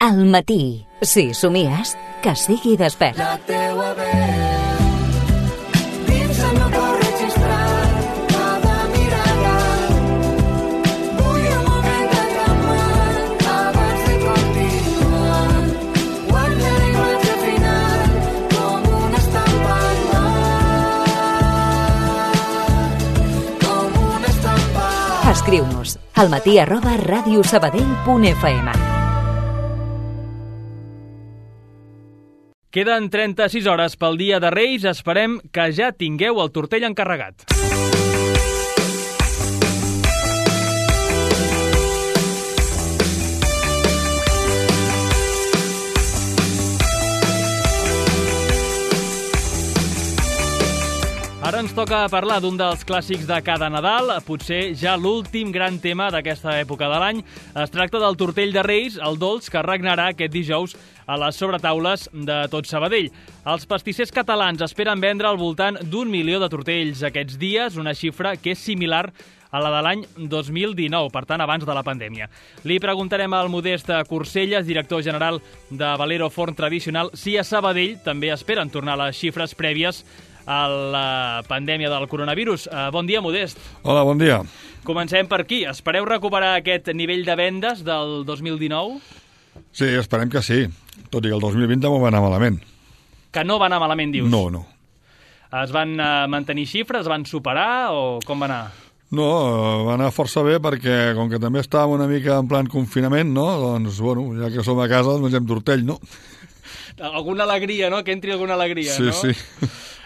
Al matí, si somies, que sigui despert. La teua veu dins el meu cor registrat cada mirada. Vull un moment de calmar abans de continuar. Guarda la imatge final com una estampa al mar. Com una estampa. Escriu-nos almatí@radiosabadell.fm. Queden 36 hores pel dia de Reis. Esperem que ja tingueu el tortell encarregat. Ara ens toca parlar d'un dels clàssics de cada Nadal, potser ja l'últim gran tema d'aquesta època de l'any. Es tracta del tortell de Reis, el dolç que regnarà aquest dijous a les sobretaules de tot Sabadell. Els pastissers catalans esperen vendre al voltant d'1 milió de tortells aquests dies, una xifra que és similar a la de l'any 2019, per tant, abans de la pandèmia. Li preguntarem al Modest Corselles, director general de Valero Forn Tradicional, si a Sabadell també esperen tornar les xifres prèvies a la pandèmia del coronavirus. Bon dia, Modest. Hola, bon dia. Comencem per aquí. Espereu recuperar aquest nivell de vendes del 2019? Sí, esperem que sí. Tot i que el 2020 també va anar malament. Que no va anar malament, dius? No. Es van mantenir xifres, es van superar o com va anar? No, va anar força bé perquè, com que també estàvem una mica en plan confinament, no? Doncs, bueno, ja que som a casa, doncs mengem tortell, no? Alguna alegria, no? Que entri alguna alegria, sí, no? Sí.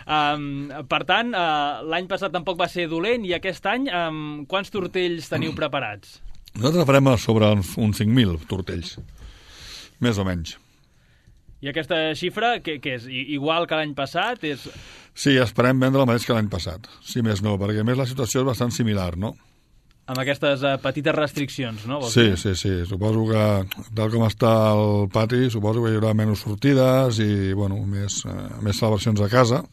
Per tant, l'any passat tampoc va ser dolent i aquest any quants tortells teniu preparats? Nosaltres farem sobre uns 5.000 tortells, més o menys. I aquesta xifra, què és? Igual que l'any passat? Sí, esperem vendre el mateix que l'any passat, si més no, perquè a més la situació és bastant similar, no? Amb aquestes petites restriccions, no? Sí. Suposo que, tal com està el pati, suposo que hi haurà menys sortides i, bueno, més celebracions a casa,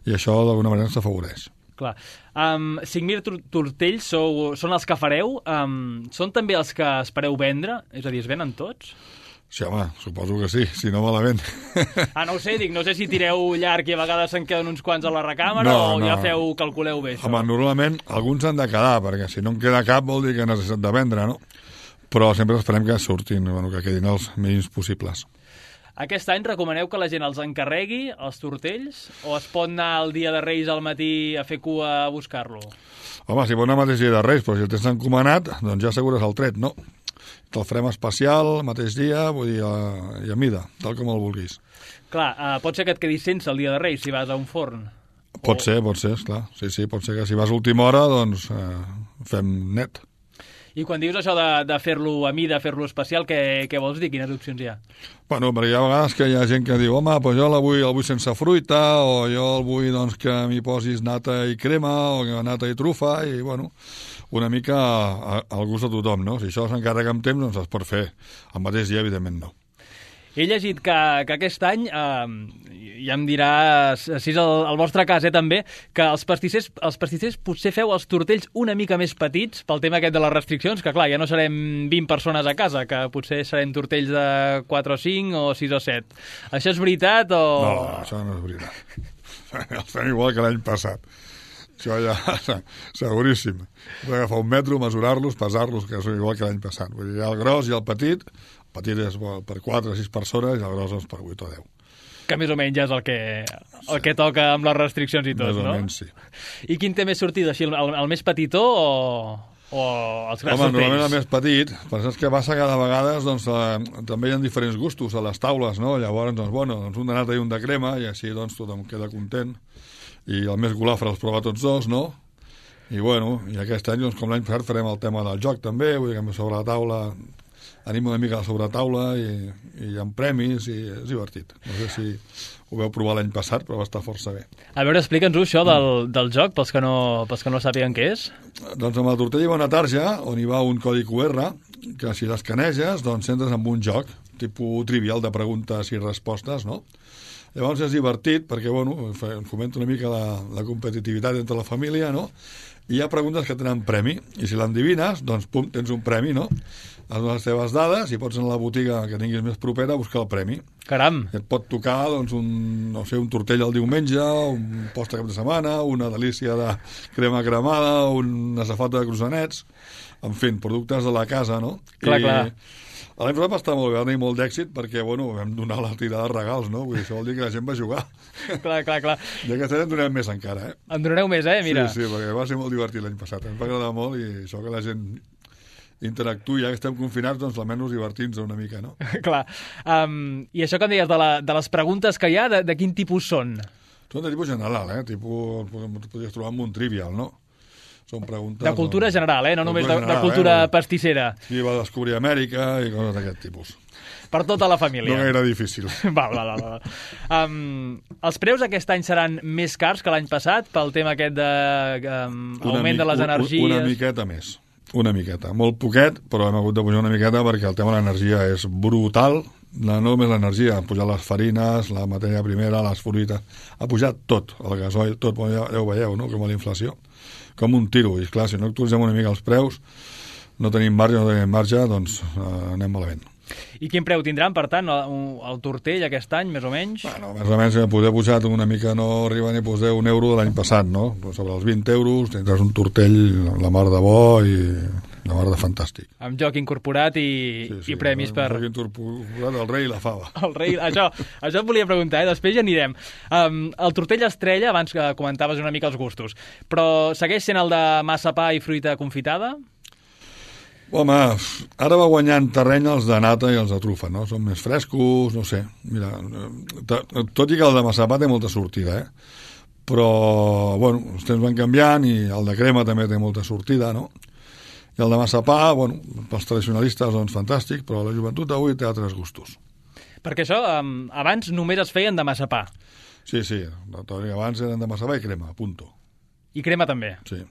i això d'alguna manera ens afavoreix. Clar. 5.000 tortells són els que fareu? Són també els que espereu vendre? És a dir, es venen tots? Sí, home, suposo que sí, si no malament. No ho sé, no sé si tireu llarg i a vegades se'n queden uns quants a la recàmera o ja calculeu bé això. Home, normalment alguns han de quedar, perquè si no en queda cap vol dir que necessitat de vendre, no? Però sempre esperem que surtin, que quedin els mínims possibles. Aquest any recomaneu que la gent els encarregui, els tortells, o es pot anar el dia de Reis al matí a fer cua a buscar-lo? Home, si pot anar el mateix dia de Reis, però si el tens encomanat, doncs ja assegures el tret, no? Te'l farem especial, el mateix dia, vull dir, i a mida, tal com el vulguis. Clar, pot ser que et quedis sense el dia de Reis si vas a un forn? Pot ser, esclar. Sí, pot ser que si vas a última hora, doncs fem net. I quan dius això de fer-lo a mida, fer-lo especial, què vols dir? Quines opcions hi ha? Bueno, perquè hi ha vegades que hi ha gent que diu home, doncs jo el vull sense fruita, o jo el vull doncs, que m'hi posis nata i crema, o nata i trufa, i bueno, una mica al gust de tothom, no? Si això s'encarrega amb temps, doncs es pot fer. El mateix dia, evidentment, no. He llegit que aquest any, ja em diràs si és el vostre cas també, que els pastissers potser feu els tortells una mica més petits pel tema aquest de les restriccions, que clar, ja no serem 20 persones a casa, que potser serem tortells de 4 o 5 o 6 o 7. Això és veritat o...? No, això no és veritat. Els fem igual que l'any passat. Això ja, seguríssim. Hem d'agafar un metro, mesurar-los, pesar-los, que són igual que l'any passat. Vull dir, hi ha el gros i el petit. El petit és per 4 o 6 persones i el gros és per 8 o 10. Que més o menys és el que toca amb les restriccions i tot, no? Més o menys, sí. I quin té més sortida? Així, el més petitó o els grans tortells? Normalment el més petit, però saps què passa cada vegada? Doncs, també hi ha diferents gustos a les taules, no? Llavors, doncs, un de nata i un de crema, i així doncs, tothom queda content. I el més golafre els prova tots dos, no? I aquest any, doncs, com l'any passat, farem el tema del joc també, vull dir que sobre la taula anim una mica a la sobretaula i hi ha premis i és divertit. No sé si ho vau provar l'any passat, però va estar força bé. A veure, explica'ns-ho, això del joc, pels que no sàpiguen què és. Doncs amb la tortella hi va una tarja on hi va un codi QR que si l'escaneges, doncs entres en un joc, tipus trivial de preguntes i respostes, no? Llavors és divertit perquè, fomenta una mica la competitivitat entre la família, no? I hi ha preguntes que tenen premi, i si l'endivines, doncs, pum, tens un premi, no? has donat les teves dades i pots anar a la botiga que tinguis més propera a buscar el premi. Caram! I et pot tocar doncs, un tortell el diumenge, un post de cap de setmana, una delícia de crema cremada, una safata de croissanets, en fi, productes de la casa, no? Clar, clar. L'any passat va estar molt bé, va tenir molt d'èxit perquè, bueno, vam donar la tirada de regals, no? Vull dir, això vol dir que la gent va jugar. Clar. I aquest any en donem més encara, En donareu més, mira. Sí, perquè va ser molt divertit l'any passat. Em va agradar molt i això que la gent interactuï, ja que estem confinats, doncs almenys divertir-nos una mica, no? Clar. I això que em deies de les preguntes que hi ha, de quin tipus són? Són de tipus general, tipus, podries trobar amb un trivial, no? Són preguntes... De cultura general, no només de general, cultura pastissera. Qui va descobrir Amèrica i coses d'aquest tipus. Per tota la família. No gaire difícil. Val. Els preus aquest any seran més cars que l'any passat pel tema aquest d'augment de les energies? Una miqueta més. Una miqueta. Molt poquet, però hem hagut de pujar una miqueta perquè el tema de l'energia és brutal. No només l'energia, han pujat les farines, la matèria primera, les fruites... Ha pujat tot, el gasoil, tot. Ja ho veieu, no?, com a la inflació. Com un tiro. I clar, si no actualitzem una mica els preus, no tenim marge, doncs anem malament. I quin preu tindran, per tant, el tortell aquest any, més o menys? Bueno, més o menys, poder pujar una mica, no arriba ni a posar €1 de l'any passat, no? Però sobre els €20 tindràs un tortell la mar de bo i la mar de fantàstic. Amb joc incorporat i premis per... Joc incorporat, el rei i la fava. El rei, això et volia preguntar, després ja anirem. El tortell estrella, abans que comentaves una mica els gustos, però segueix sent el de massapà i fruita confitada? Home, ara va guanyant terreny els de nata i els de trufa, no? Són més frescos, no sé. Mira, tot i que el de massapà té molta sortida, però, bueno, els temps van canviant i el de crema també té molta sortida, no? I el de massapà, bueno, pels tradicionalistes, doncs, fantàstic, però la joventut d'avui té altres gustos. Perquè això, abans només es feien de massapà. Sí, abans eren de massapà i crema, punto. I crema també. Sí.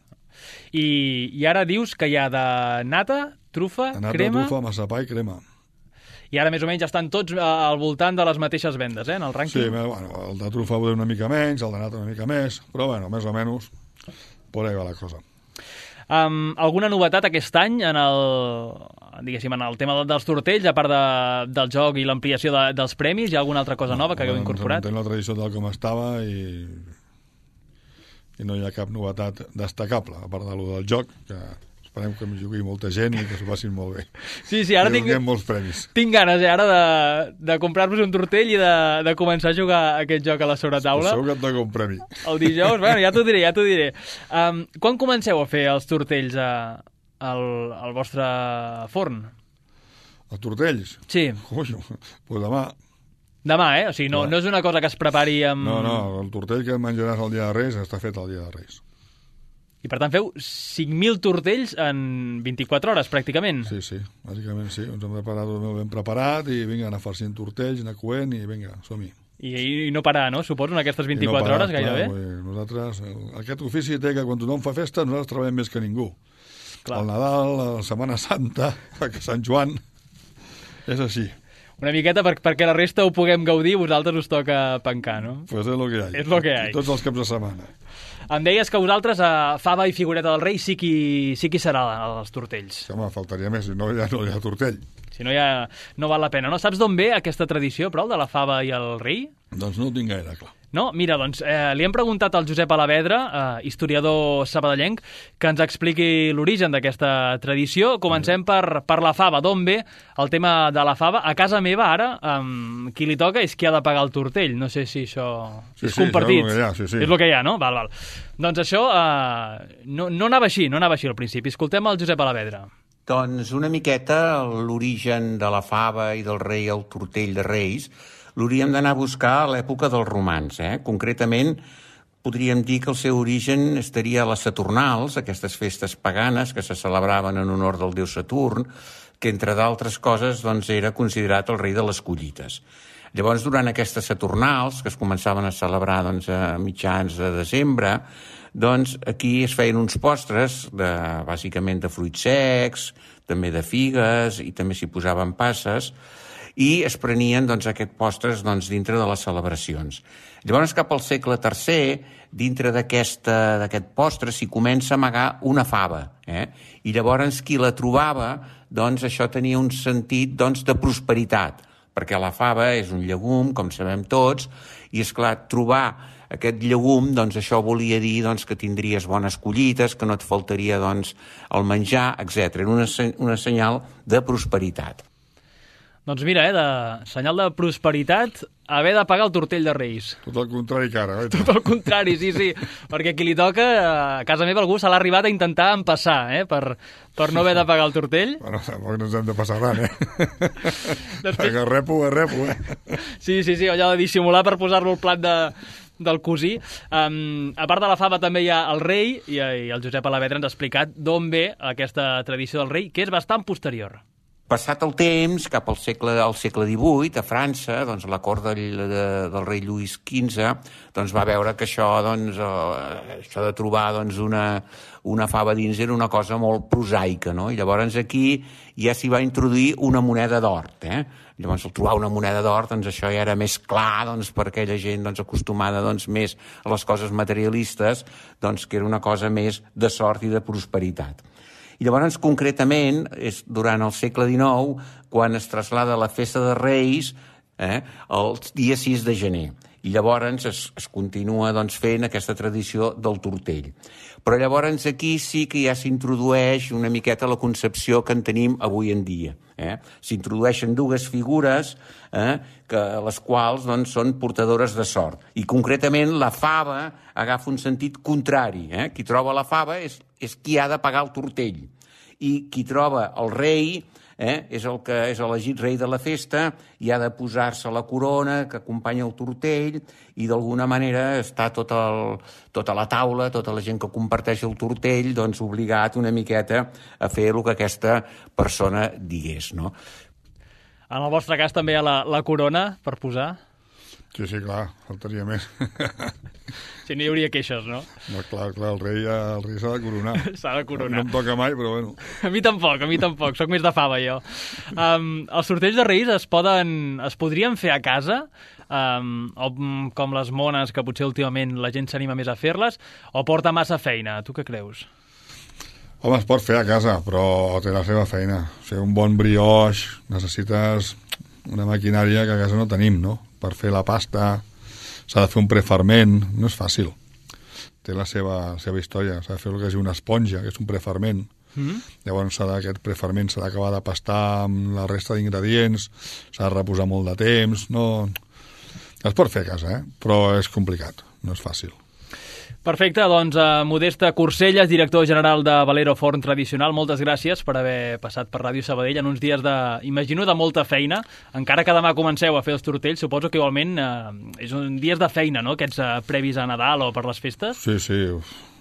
I ara dius que hi ha de nata, trufa, crema... Trufa, massapà i crema. I ara més o menys estan tots al voltant de les mateixes vendes, en el rànquing? Sí, bueno, el de trufa ho una mica menys, el de nata una mica més, però bueno, més o menys, por ahí va la cosa. Alguna novetat aquest any en el tema dels tortells, a part del joc i l'ampliació dels premis? Hi ha alguna altra cosa nova que hagueu incorporat? Tenim la tradició tal com estava i no hi ha cap novetat destacable, a part del joc, que esperem que m'hi jugui molta gent i que s'ho passin molt bé. Sí, ara tinc molts premis. Tinc ganes ara de comprar-vos un tortell i de començar a jugar aquest joc a la sobretaula. Segur que et toca un premi. El dijous, bueno, ja t'ho diré. Quan comenceu a fer els tortells al vostre forn? Els tortells? Sí. Ui, doncs demà. Demà, O sigui, no és una cosa que es prepari amb... No, el tortell que menjaràs el dia de Reis està fet el dia de Reis. I per tant feu 5.000 tortells en 24 hores, pràcticament. Sí, bàsicament sí. Ens hem preparat molt ben preparat i vinga, anar farcint tortells, anar coent i vinga, som-hi. I no parar, no? Suposo, en aquestes 24 hores gairebé? Nosaltres, aquest ofici té que quan tothom fa festa nosaltres treballem més que ningú. Clar. El Nadal, la Setmana Santa, Sant Joan, és així. Una miqueta perquè la resta ho puguem gaudir, vosaltres us toca pencar, no? Pues és lo que hi ha. És lo que hi ha. Tots els caps de setmana. Em deies que vosaltres a fava i figureta del rei sí qui serà els tortells. Home, faltaria més, si no ja no hi ha tortell. Si no, ja no val la pena, no? Saps d'on ve aquesta tradició, però, de la fava i el rei? Doncs no ho tinc gaire clar. No? Mira, doncs, li hem preguntat al Josep Alavedra, historiador sabadellenc, que ens expliqui l'origen d'aquesta tradició. Comencem per la fava. D'on ve el tema de la fava? A casa meva, ara, qui li toca és qui ha de pagar el tortell. No sé si això és compartit. Sí. És el que hi ha, no? Val. Doncs això no anava així al principi. Escoltem el Josep Alavedra. Doncs una miqueta l'origen de la fava i del rei al tortell de Reis l'hauríem d'anar a buscar a l'època dels romans. Concretament, podríem dir que el seu origen estaria a les Saturnals, aquestes festes paganes que se celebraven en honor del déu Saturn, que, entre d'altres coses, doncs, era considerat el rei de les collites. Llavors, durant aquestes Saturnals, que es començaven a celebrar doncs, a mitjans de desembre, doncs aquí es feien uns postres, bàsicament de fruits secs, també de figues, i també s'hi posaven passes, i es prenien doncs, aquests postres doncs, dintre de les celebracions. Llavors, cap al segle III, dintre d'aquest postre s'hi comença a amagar una fava. I llavors qui la trobava, doncs això tenia un sentit doncs, de prosperitat, perquè la fava és un llegum, com sabem tots, i és clar, trobar aquest llegum, doncs això volia dir doncs, que tindries bones collites, que no et faltaria doncs, el menjar, etc. Era una senyal de prosperitat. Doncs mira, de senyal de prosperitat, haver de pagar el tortell de Reis. Tot el contrari que ara. Tot el contrari, sí. Perquè qui li toca, a casa meva algú se l'ha arribat a intentar empassar, per no haver de pagar el tortell. Bueno, tampoc no ens hem de passar ran, Després... Repo. Sí, allò de dissimular per posar-lo al plat del cosí. A part de la fava també hi ha el rei, i el Josep Alavedra ens ha explicat d'on ve aquesta tradició del rei, que és bastant posterior. Passat el temps, cap al segle XVIII, a França, doncs, la cort del rei Lluís XV doncs, va veure que això de trobar doncs, una fava dins era una cosa molt prosaica, no? I llavors aquí ja s'hi va introduir una moneda d'or. Llavors, al trobar una moneda d'or, doncs, això ja era més clar doncs, per aquella gent doncs, acostumada doncs, més a les coses materialistes, doncs, que era una cosa més de sort i de prosperitat. I llavors, concretament, és durant el segle XIX, quan es traslada la festa de Reis el dia 6 de gener. I llavors es continua doncs, fent aquesta tradició del tortell. Però llavors aquí sí que ja s'introdueix una miqueta la concepció que en tenim avui en dia. S'introdueixen dues figures les quals doncs, són portadores de sort. I concretament la fava agafa un sentit contrari. Qui troba la fava és qui ha de pagar el tortell. I qui troba el rei és el que és elegit rei de la festa i ha de posar-se la corona que acompanya el tortell i d'alguna manera està tota la taula, tota la gent que comparteix el tortell, doncs obligat una miqueta a fer el que aquesta persona digués, no? En el vostre cas també hi ha la corona per posar? Sí, clar, faltaria més. Si no hi hauria queixes, no? No, clar, el rei s'ha de coronar. S'ha de coronar. No em toca mai, però bueno. A mi tampoc, soc més de fava, jo. Els sorteigs de Reis es podrien fer a casa, o com les mones, que potser últimament la gent s'anima més a fer-les, o porta massa feina? Tu què creus? Home, es pot fer a casa, però té la seva feina. O sigui, un bon brioix, necessites una maquinària que a casa no tenim, no? Per fer la pasta s'ha de fer un preferment, no és fàcil. Té la seva història, s'ha de fer el que és una esponja, que és un preferment. Llavors aquest preferment s'ha d'acabar de pastar amb la resta d'ingredients, s'ha de reposar molt de temps, no... Es pot fer a casa, però és complicat, no és fàcil. Perfecte, doncs Modesta Corcelles, director general de Valero Forn Tradicional, moltes gràcies per haver passat per Ràdio Sabadell en uns dies imagino, de molta feina. Encara que demà comenceu a fer els tortells, suposo que igualment és un dies de feina, no?, aquests previs a Nadal o per les festes. Sí,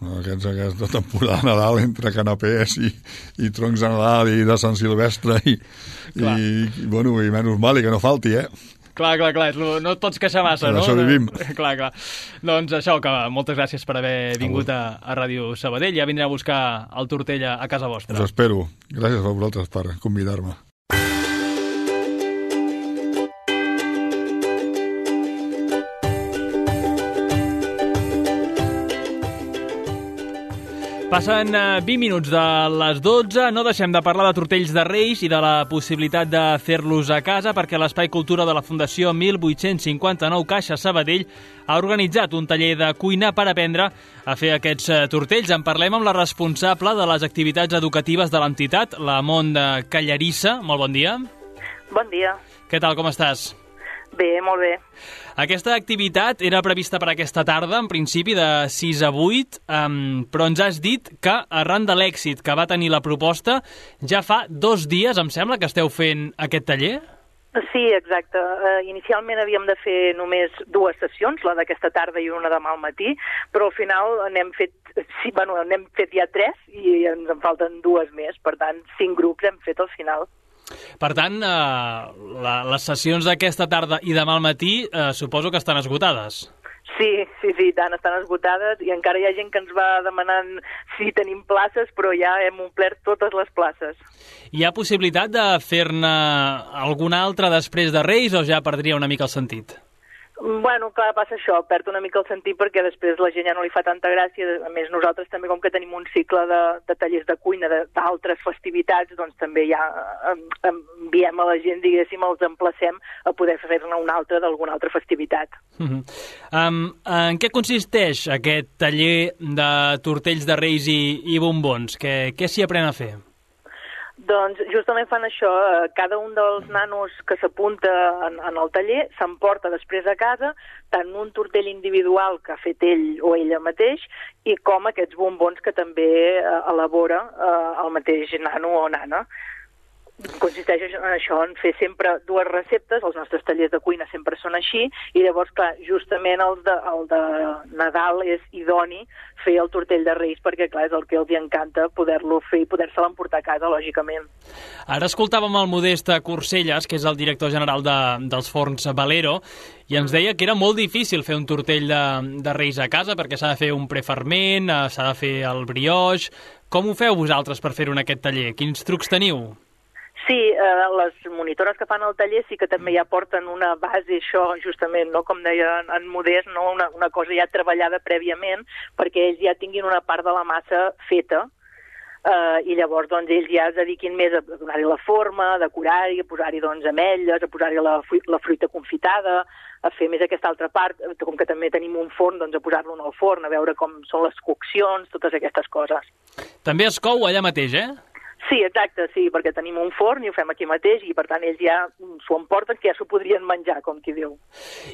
aquesta temporada de Nadal entre canapés i troncs de Nadal i de Sant Silvestre i menys mal i que no falti, Clar, no et pots queixar massa, no? Això vivim. Clar. Doncs això, que moltes gràcies per haver vingut a Ràdio Sabadell. Ja vindré a buscar el tortell a casa vostra. Us espero. Gràcies a vosaltres per convidar-me. Passen 20 minuts de les 12, no deixem de parlar de tortells de Reis i de la possibilitat de fer-los a casa perquè l'Espai Cultura de la Fundació 1859 Caixa Sabadell ha organitzat un taller de cuina per aprendre a fer aquests tortells. En parlem amb la responsable de les activitats educatives de l'entitat, la Mont de Callarissa. Molt bon dia. Bon dia. Què tal, com estàs? Bé, molt bé. Aquesta activitat era prevista per aquesta tarda, en principi de 6 a 8, però ens has dit que arran de l'èxit que va tenir la proposta, ja fa 2 dies, em sembla, que esteu fent aquest taller? Sí, exacte. Inicialment havíem de fer només 2 sessions, la d'aquesta tarda i una demà al matí, però al final n'hem fet ja 3 i ens en falten 2 més. Per tant, 5 grups hem fet al final. Per tant, les sessions d'aquesta tarda i demà al matí suposo que estan esgotades. Sí, tant, estan esgotades i encara hi ha gent que ens va demanant si tenim places, però ja hem omplert totes les places. Hi ha possibilitat de fer-ne alguna altra després de Reis o ja perdria una mica el sentit? Bueno, clar, passa això, perd una mica el sentit perquè després la gent ja no li fa tanta gràcia. A més, nosaltres també, com que tenim un cicle de tallers de cuina d'altres festivitats, doncs també ja enviem a la gent, diguéssim, els emplacem a poder fer-ne una altra d'alguna altra festivitat. En què consisteix aquest taller de tortells de Reis i bombons? Què s'hi aprèn a fer? Doncs justament fan això, cada un dels nanos que s'apunta en el taller s'emporta després a casa tant un tortell individual que ha fet ell o ella mateix i com aquests bombons que també elabora el mateix nano o nana. Consisteix en això, en fer sempre dues receptes, els nostres tallers de cuina sempre són així, i llavors, clar, justament el de Nadal és idoni fer el tortell de Reis, perquè, clar, és el que els encanta poder-lo fer i poder-se l'emportar a casa, lògicament. Ara escoltàvem el Modest Corcelles, que és el director general dels forns Valero, i ens deia que era molt difícil fer un tortell de Reis a casa, perquè s'ha de fer un preferment, s'ha de fer el brioix. Com ho feu vosaltres per fer-ho en aquest taller? Quins trucs teniu? Sí, les monitores que fan el taller sí que també ja porten una base, això justament, no? Com deia en Modest, no? Una cosa ja treballada prèviament perquè ells ja tinguin una part de la massa feta i llavors doncs, ells ja es dediquin més a donar-hi la forma, a decorar-hi, a posar-hi doncs, ametlles, a posar-hi la fruita confitada, a fer més aquesta altra part, com que també tenim un forn, doncs a posar-lo en el forn, a veure com són les coccions, totes aquestes coses. També es cou allà mateix, eh? Sí, exacte, sí, perquè tenim un forn i ho fem aquí mateix i per tant ells ja s'ho emporten que ja s'ho podrien menjar, com qui diu.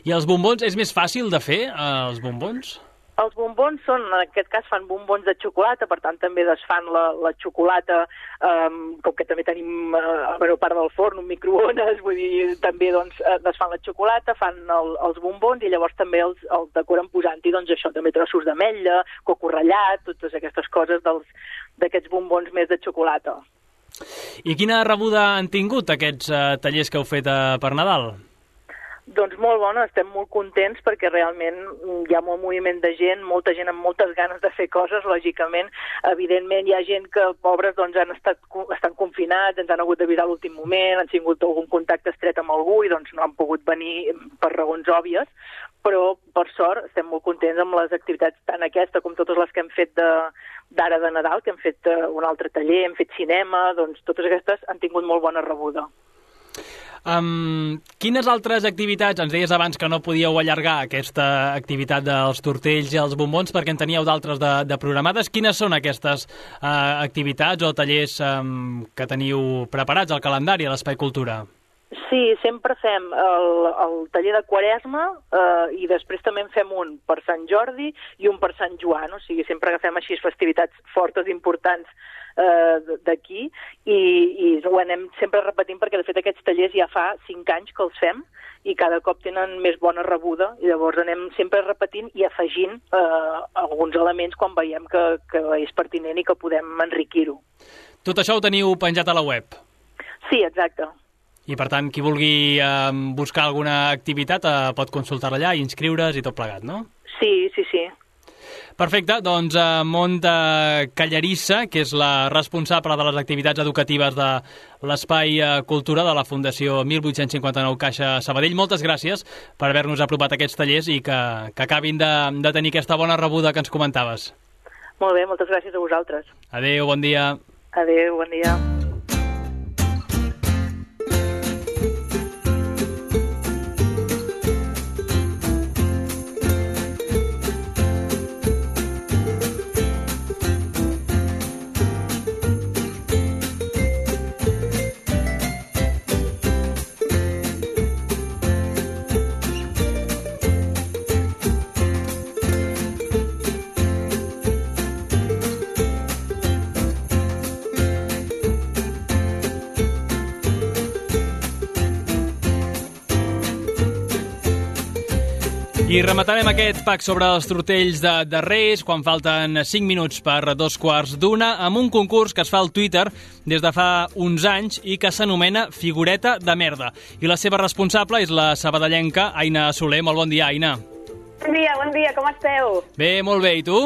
I els bombons, és més fàcil de fer, els bombons? Els bombons són, en aquest cas fan bombons de xocolata, per tant també desfan la xocolata, com que també tenim a part del forn un microones, vull dir, també doncs, desfan la xocolata, fan els bombons i llavors també els decoren posant-hi doncs, això, també trossos d'ametlla, coco ratllat, totes aquestes coses d'aquests bombons més de xocolata. I quina rebuda han tingut aquests tallers que heu fet per Nadal? Doncs molt bona, estem molt contents perquè realment hi ha molt moviment de gent, molta gent amb moltes ganes de fer coses, lògicament. Evidentment hi ha gent que, pobres, doncs estan confinats, ens han hagut d'avisar a l'últim moment, han tingut algun contacte estret amb algú i doncs no han pogut venir per raons òbvies, però per sort estem molt contents amb les activitats, tant aquesta com totes les que hem fet d'ara de Nadal, que hem fet un altre taller, hem fet cinema, doncs totes aquestes han tingut molt bona rebuda. Quines altres activitats, ens deies abans que no podíeu allargar aquesta activitat dels tortells i els bombons perquè en teníeu d'altres de programades, quines són aquestes activitats o tallers que teniu preparats al calendari a l'Espai Cultura? Sí, sempre fem el taller de Quaresma i després també en fem un per Sant Jordi i un per Sant Joan, o sigui, sempre agafem així festivitats fortes, importants d'aquí i ho anem sempre repetint perquè de fet aquests tallers ja fa 5 anys que els fem i cada cop tenen més bona rebuda i llavors anem sempre repetint i afegint alguns elements quan veiem que és pertinent i que podem enriquir-ho. Tot això ho teniu penjat a la web? Sí, exacte. I, per tant, qui vulgui buscar alguna activitat pot consultar-la allà i inscriure's i tot plegat, no? Sí. Perfecte, doncs Mont Callarissa, que és la responsable de les activitats educatives de l'Espai Cultura de la Fundació 1859 Caixa Sabadell, moltes gràcies per haver-nos apropat aquests tallers i que acabin de tenir aquesta bona rebuda que ens comentaves. Molt bé, moltes gràcies a vosaltres. Adéu, bon dia. Adéu, bon dia. I rematarem aquest pack sobre els tortells de Reis quan falten 5 minuts per 2:15 amb un concurs que es fa al Twitter des de fa uns anys i que s'anomena Figureta de Merda. I la seva responsable és la sabadellenca Aina Soler. Molt bon dia, Aina. Bon dia, com esteu? Bé, molt bé, i tu?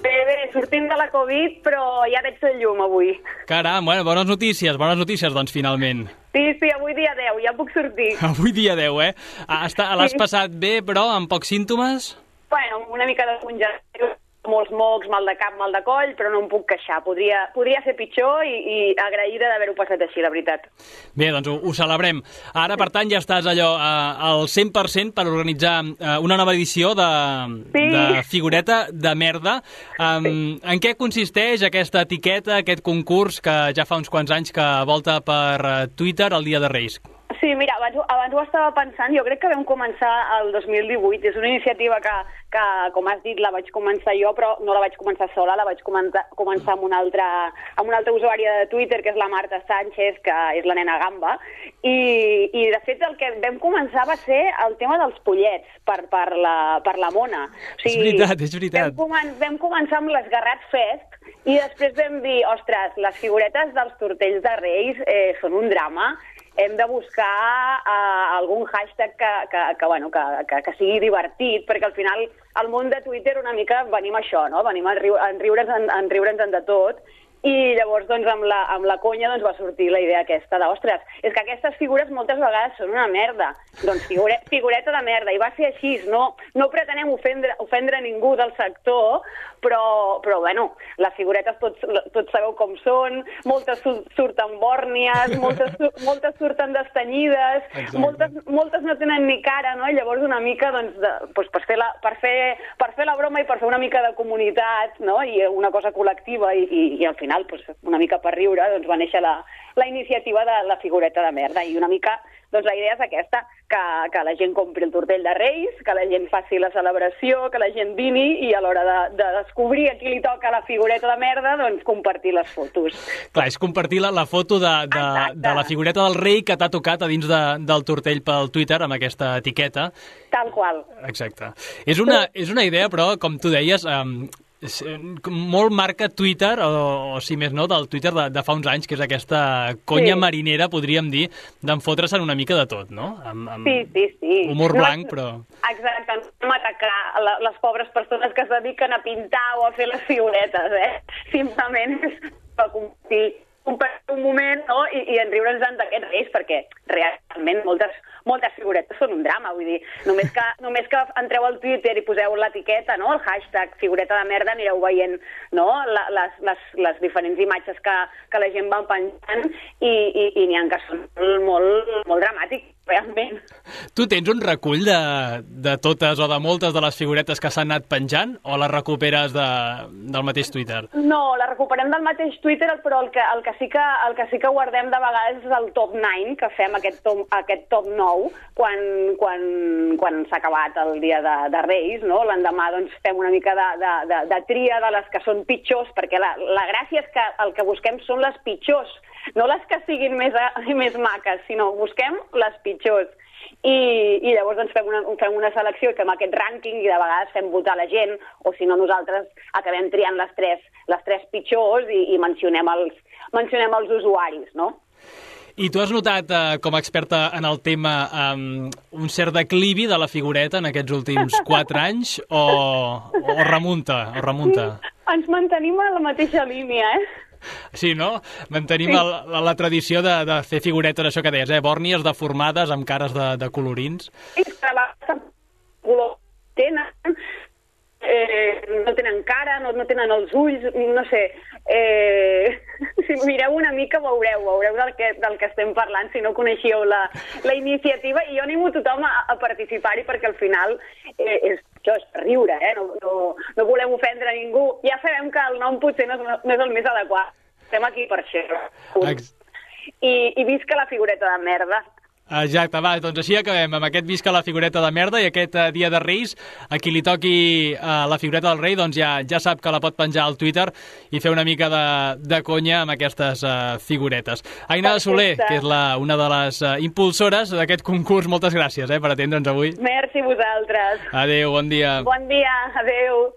Bé, sortint de la Covid, però ja veig el llum avui. Caram, bueno, bones notícies, doncs, finalment. Sí, avui dia 10, ja puc sortir. Avui dia 10, eh? L'has passat bé, però amb pocs símptomes? Bueno, una mica de congelació, molts mocs, mal de cap, mal de coll, però no em puc queixar. Podria ser pitjor i agraïda d'haver-ho passat així, la veritat. Bé, doncs ho celebrem. Ara, per tant, ja estàs allò al 100% per organitzar una nova edició de Figureta de Merda. En què consisteix aquesta etiqueta, aquest concurs que ja fa uns quants anys que volta per Twitter el Dia de Reis? Sí, mira, abans ho estava pensant, jo crec que vam començar el 2018, és una iniciativa que, com has dit, la vaig començar jo, però no la vaig començar sola, la vaig començar amb una altra usuària de Twitter, que és la Marta Sánchez, que és la nena gamba, i de fet el que vam començar va ser el tema dels pollets per la mona. O sigui, és veritat. Vam començar amb l'Esgarrat Fest, i després vam dir, ostres, les figuretes dels tortells de Reis són un drama, hem de buscar algun hashtag que sigui divertit, perquè al final al món de Twitter una mica venim a això, no? Venim a riure'ns de tot, i llavors doncs, amb la conya doncs, va sortir la idea aquesta d'ostres, és que aquestes figures moltes vegades són una merda, doncs figureta de merda, i va ser així, no pretenem ofendre ningú del sector, però bueno, les figuretes tots sabeu com són, moltes surten bòrnies, moltes surten destanyides, moltes no tenen ni cara, no? I llavors una mica doncs, per fer la broma i per fer una mica de comunitat, no? I una cosa col·lectiva i al final una mica per riure doncs, va néixer la iniciativa de la figureta de merda, i una mica doncs la idea és aquesta, que la gent compri el tortell de Reis, que la gent faci la celebració, que la gent vini i a l'hora de descobrir a qui li toca la figureta de merda, doncs compartir les fotos. Clar, és compartir la foto de la figureta del rei que t'ha tocat a dins del tortell pel Twitter amb aquesta etiqueta. Tal qual. Exacte. És una idea, però, com tu deies, molt marca Twitter, o si més no, del Twitter de fa uns anys, que és aquesta conya marinera, podríem dir, d'enfotre-se'n una mica de tot, no? Sí. Humor blanc, però... Exacte, no atacar les pobres persones que es dediquen a pintar o a fer les figuretes, Simplement és per compartir un moment, no? I enriure'ns d'aquests reis, perquè realment moltes figuretes són un drama, vull dir, només que entreu al Twitter i poseu l'etiqueta, no? El hashtag figureta de merda, anireu veient, no? Les diferents imatges que la gent va penjant i n'hi ha que són molt dramàtics, realment. Tu tens un recull de totes o de moltes de les figuretes que s'han anat penjant, o les recuperes del mateix Twitter? No, la recuperem del mateix Twitter, però el que sí que guardem de vegades és el top 9, que fem aquest top 9 quan s'ha acabat el dia de Reis, no? L'endemà doncs, fem una mica de tria de les que són pitjors, perquè la gràcia és que el que busquem són les pitjors, no les que siguin més maques, sinó busquem les pitjors. I llavors doncs, fem una selecció i fem aquest rànquing i de vegades fem votar la gent, o si no nosaltres acabem triant les tres pitjors i mencionem els usuaris, no? I tu has notat, com a experta en el tema, un cert declivi de la figureta en aquests últims 4 anys, o remunta? Ens mantenim a la mateixa línia, Sí, no? Mantenim la tradició de fer figuretes, això que deies, bòrnies deformades amb cares de colorins. Sí, color tenen, no tenen cara, no tenen els ulls, no sé. Si mireu una mica veureu del que estem parlant, si no coneixíeu la iniciativa, i jo animo tothom a participar-hi, perquè al final és riure, no volem ofendre ningú. Ja sabem que el nom potser no és el més adequat, estem aquí per això. I visca la figureta de merda. Exacte, va, doncs així acabem amb aquest visca la figureta de merda, i aquest dia de Reis, a qui li toqui la figureta del rei, doncs ja sap que la pot penjar al Twitter i fer una mica de conya amb aquestes figuretes. Aina Soler, que és una de les impulsores d'aquest concurs, moltes gràcies per atendre'ns avui. Merci a vosaltres. Adéu, bon dia. Bon dia, adéu.